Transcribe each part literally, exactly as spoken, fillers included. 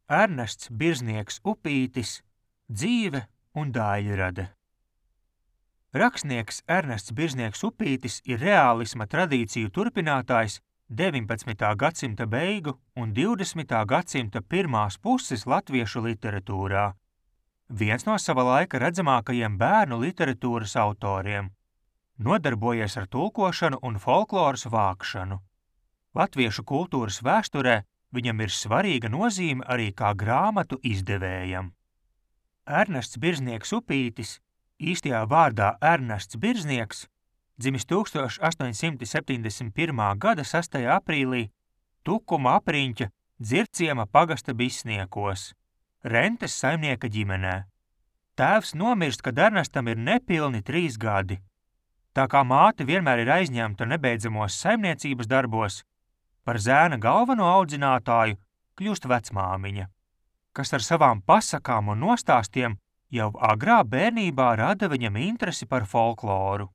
Ernests Birznieks Upītis, dzīve un daļrade. Rakstnieks Ernests Birznieks Upītis ir reālisma tradīciju turpinātājs deviņpadsmitā gadsimta beigu un divdesmitā gadsimta pirmās puses latviešu literatūrā. Viens no sava laika redzamākajiem bērnu literatūras autoriem. Nodarbojies ar tulkošanu un folkloras vākšanu. Latviešu kultūras vēsturē viņam ir svarīga nozīme arī kā grāmatu izdevējam. Ernests Birznieks Upītis, īstajā vārdā Ernests Birznieks, dzimis tūkstoš astoņsimt septiņdesmit pirmā gada sastajā aprīlī Tukuma apriņķa Dzirciema pagasta Bisniekos, rentes saimnieka ģimenē. Tēvs nomirst, kad Ernestam ir nepilni trīs gadi. Tā kā māte vienmēr ir aizņemta nebeidzamos saimniecības darbos, par zēna galveno audzinātāju kļūst vecmāmiņa, kas ar savām pasakām un nostāstiem jau agrā bērnībā rada viņam interesi par folkloru.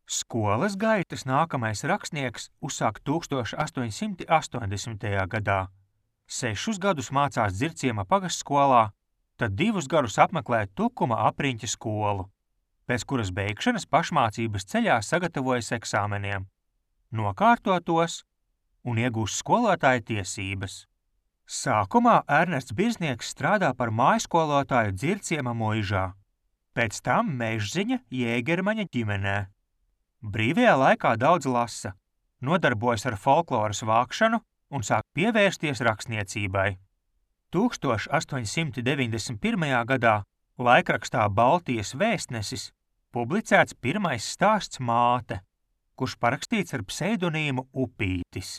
Skolas gaitas nākamais rakstnieks uzsāk tūkstoš astoņsimt astoņdesmitajā gadā. Sešus gadus mācās Dzirciema pagastskolā, tad divus gadus apmeklē Tukuma apriņķa skolu, pēc kuras beigšanas pašmācības ceļā sagatavojas eksāmeniem, nokārto tos un iegūst skolotāja tiesības. Sākumā Ernests Birznieks strādā par mājskolotāju Dzirciema muižā, pēc tam Mežziņa Jēgermaņa ģimenē. Brīvajā laikā daudz lasa, nodarbojas ar folkloras vākšanu un sāk pievērsties rakstniecībai. tūkstoš astoņsimt deviņdesmit pirmajā gadā laikrakstā Baltijas vēstnesis publicēts pirmais stāsts Māte, kurš parakstīts ar pseidonīmu Upītis.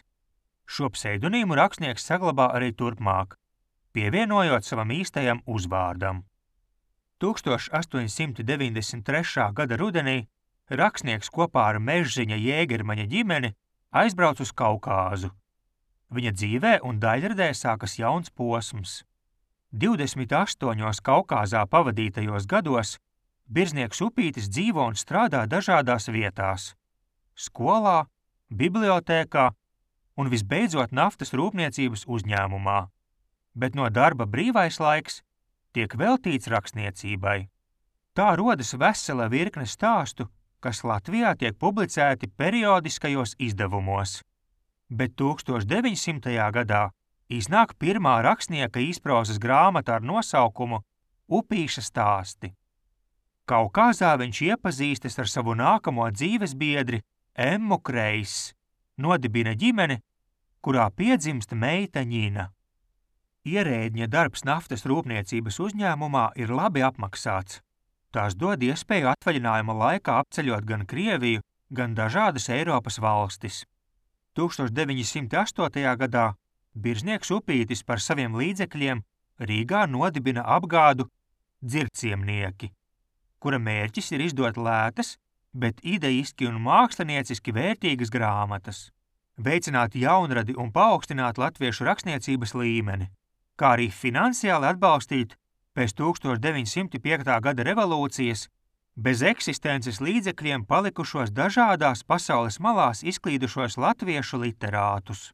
Šo pseidonīmu rakstnieks saglabā arī turpmāk, pievienojot savam īstajam uzvārdam. tūkstoš astoņsimt deviņdesmit trešā gada rudenī rakstnieks kopā ar Mežziņa Jēgermaņa ģimeni aizbrauc uz Kaukāzu. Viņa dzīvē un daļradē sākas jauns posms. divdesmit astoņos Kaukāzā pavadītajos gados Birznieks Upītis dzīvo un strādā dažādās vietās – skolā, bibliotēkā un visbeidzot naftas rūpniecības uzņēmumā, bet no darba brīvais laiks tiek veltīts rakstniecībai. Tā rodas vesela virkne stāstu, kas Latvijā tiek publicēti periodiskajos izdevumos, bet tūkstoš deviņsimtajā gadā iznāk pirmā rakstnieka īsprozas grāmata ar nosaukumu Upīša stāsti. Kaukāzā viņš iepazīstas ar savu nākamo dzīvesbiedri Emmu Kreiss, nodibina ģimeni, kurā piedzimst meita Ņina. Ierēdņa darbs naftas rūpniecības uzņēmumā ir labi apmaksāts. Tās dod iespēju atvaļinājuma laikā apceļot gan Krieviju, gan dažādas Eiropas valstis. tūkstoš deviņsimt astotajā gadā Birznieks Upītis par saviem līdzekļiem Rīgā nodibina apgādu Dzirciemnieki, kura mērķis ir izdot lētas, bet ideiski un mākslinieciski vērtīgas grāmatas, veicināt jaunradi un paaugstināt latviešu rakstniecības līmeni, kā arī finansiāli atbalstīt pēc tūkstoš deviņsimt piektajā gada revolūcijas bez eksistences līdzekļiem palikušos dažādās pasaules malās izklīdušos latviešu literātus.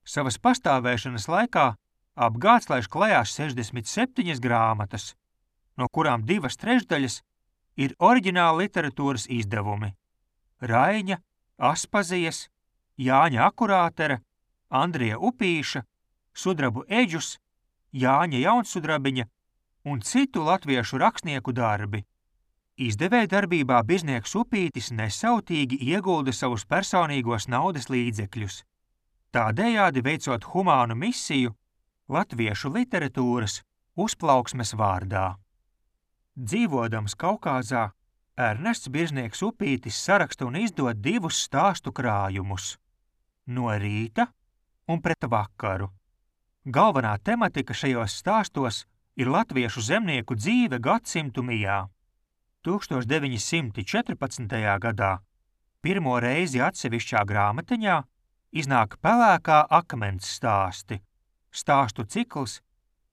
Savas pastāvēšanas laikā apgāds laiž klajā sešdesmit septiņas grāmatas, no kurām divas trešdaļas ir oriģināla literatūras izdevumi – Raiņa, Aspazijas, Jāņa Akurātera, Andrija Upīša, Sudrabu Eģus, Jāņa Jaunsudrabiņa un citu latviešu rakstnieku darbi. Izdevēja darbībā Birznieks Upītis nesautīgi iegulda savus personīgos naudas līdzekļus, tādējādi veicot humānu misiju latviešu literatūras uzplauksmes vārdā. Dzīvodams Kaukāzā, Ernests Birznieks Upītis saraksta un izdod divus stāstu krājumus – No rīta un Pret vakaru. Galvenā tematika šajos stāstos ir latviešu zemnieku dzīve gadsimtu mijā. tūkstoš deviņsimt četrpadsmitajā gadā pirmo reizi atsevišķā grāmatiņā iznāk Pelēkā akmens stāsti, stāstu cikls,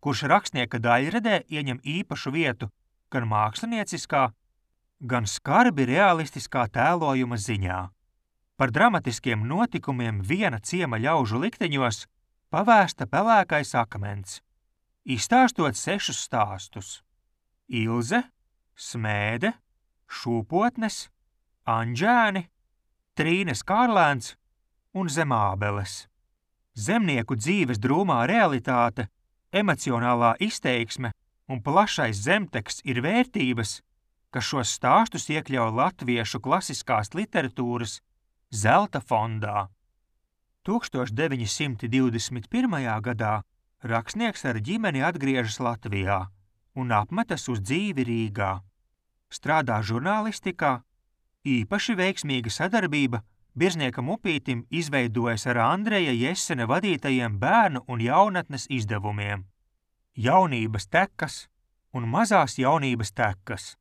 kurš rakstnieka daļradē ieņem īpašu vietu gan mākslinieciskā, gan skarbi realistiskā tēlojuma ziņā. Par dramatiskiem notikumiem viena ciema ļaužu likteņos pavēsta pelēkais akmens, izstāstot sešus stāstus – Ilze, Smēde, Šūpotnes, Anģēni, Trīnes Kārlēns un Zemābeles. Zemnieku dzīves drūmā realitāte, emocionālā izteiksme un plašais zemteksts ir vērtības, kas šos stāstus iekļauj latviešu klasiskās literatūras zelta fondā. tūkstoš deviņi simti divdesmit pirmajā gadā rakstnieks ar ģimeni atgriežas Latvijā un apmetas uz dzīvi Rīgā. Strādā žurnālistikā, īpaši veiksmīga sadarbība Birzniekam Upītim izveidojas ar Andreja Jesena vadītajiem bērnu un jaunatnes izdevumiem. Jaunības tekas un mazās jaunības tekas,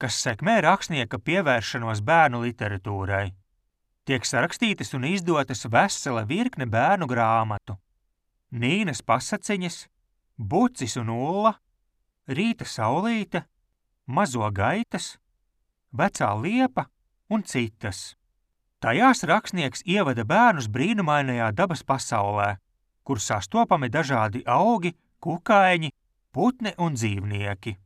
kas sekmē rakstnieka pievēršanos bērnu literatūrai. Tiek sarakstītas un izdotas vesela virkne bērnu grāmatu. Nīnas pasaciņas, Bucis un Ulla, Rīta saulīte, Mazo gaitas, Vecā liepa un citas. Tajās rakstnieks ievada bērnus brīnumainajā dabas pasaulē, kur sastopami dažādi augi, kukaiņi, putni un dzīvnieki.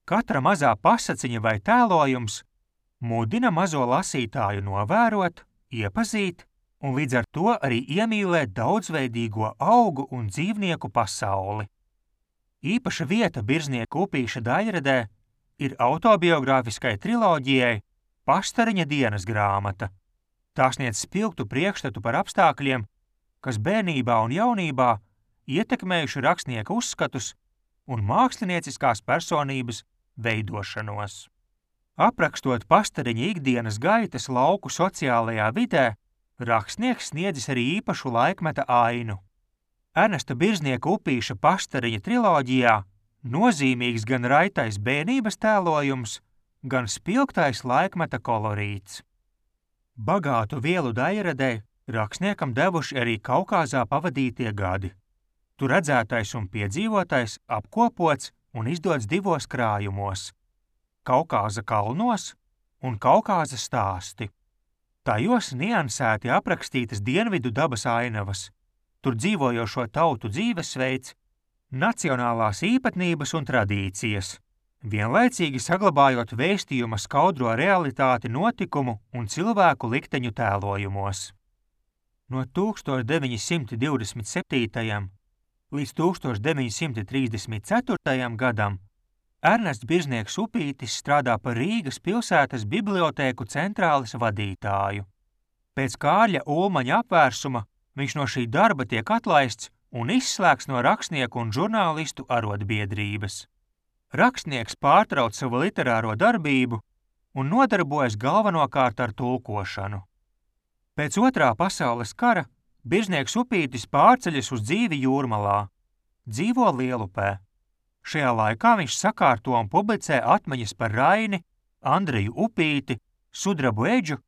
Katra mazā pasaciņa vai tēlojums mudina mazo lasītāju novērot, iepazīt un līdz ar to arī iemīlēt daudzveidīgo augu un dzīvnieku pasauli. Īpaša vieta Birznieka Upīša daļradē ir autobiogrāfiskai triloģijai Pastariņa dienas grāmata. Tā sniedz spilgtu priekšstatu par apstākļiem, kas bērnībā un jaunībā ietekmējuši rakstnieka uzskatus un mākslinieciskās personības veidošanos. Aprakstot Pastariņa ikdienas gaitas lauku sociālajā vidē, rakstnieks sniedzis arī īpašu laikmeta ainu. Ernesta Birznieka Upīša Pastariņa triloģijā nozīmīgs gan raitais bērnības tēlojums, gan spilgtais laikmeta kolorīts. Bagātu vielu daļradē rakstniekam devuši arī Kaukāzā pavadītie gadi. Tur redzētais un piedzīvotais apkopots un izdots divos krājumos – Kaukāza kalnos un Kaukāza stāsti. Tajos niansēti aprakstītas dienvidu dabas ainavas, tur dzīvojošo tautu dzīvesveids, nacionālās īpatnības un tradīcijas, vienlaicīgi saglabājot vēstījuma skaudro realitāti notikumu un cilvēku likteņu tēlojumos. No tūkstoš deviņi simti divdesmit septītajam līdz tūkstoš deviņi simti trīsdesmit ceturtajam gadam Ernests Birznieks Upītis strādā par Rīgas pilsētas bibliotēku centrāles vadītāju. Pēc Kārļa Ulmaņa apvērsuma viņš no šī darba tiek atlaists un izslēgts no rakstnieku un žurnālistu arotbiedrības. Rakstnieks pārtrauc savu literāro darbību un nodarbojas galvenokārt ar tulkošanu. Pēc otrā pasaules kara Birznieks Upītis pārceļas uz dzīvi Jūrmalā, dzīvo Lielupē. Šajā laikā viņš sakārto un publicē atmiņas par Raini, Andreju Upīti, Sudrabu Eģu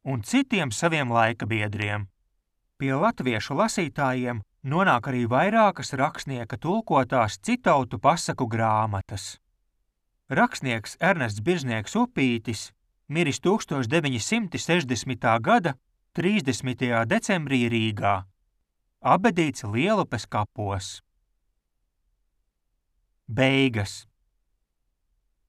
un citiem saviem laika biedriem. Pie latviešu lasītājiem nonāk arī vairākas rakstnieka tulkotās citautu pasaku grāmatas. Rakstnieks Ernests Birznieks Upītis miris tūkstoš deviņi simti sešdesmitā gada trīsdesmitajā decembrī Rīgā, apbedīts Lielupes kapos. Beigas.